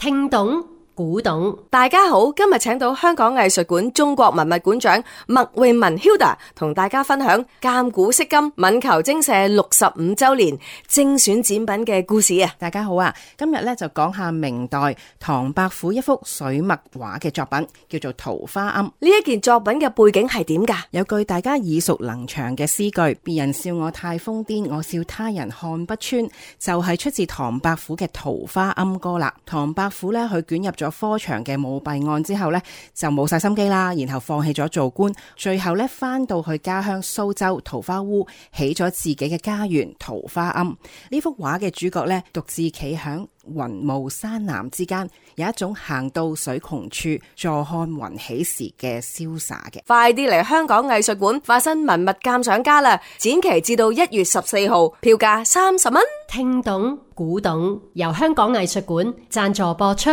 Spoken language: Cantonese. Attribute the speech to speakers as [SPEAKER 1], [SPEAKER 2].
[SPEAKER 1] 聽懂古董。
[SPEAKER 2] 大家好，今日請到香港藝術館中國文物館長麥詠文 Hilda 同大家分享鑑古釋今艋裘精舍65周年精選展品嘅故事啊！
[SPEAKER 3] 大家好啊，今日咧就講下明代唐伯虎一幅水墨畫嘅作品，叫做《桃花庵》。
[SPEAKER 2] 呢一件作品嘅背景係點噶？
[SPEAKER 3] 有句大家耳熟能詳嘅詩句：別人笑我太瘋癲，我笑他人看不穿，就係出自唐伯虎嘅《桃花庵》歌啦。唐伯虎咧，佢捲入咗科場嘅舞弊案之後呢，就冇晒心機啦，然後放棄咗做官，最後呢，翻到去家鄉蘇州桃花塢，起咗自己嘅家園桃花庵。呢幅畫嘅主角呢，獨自企響雲霧山南之間，有一種行到水窮處，坐看雲起時嘅瀟灑嘅。
[SPEAKER 2] 快啲嚟香港藝術館化身文物鑑賞家啦！展期至到1月14號，票價30蚊。
[SPEAKER 1] 聽懂古董，由香港藝術館贊助播出。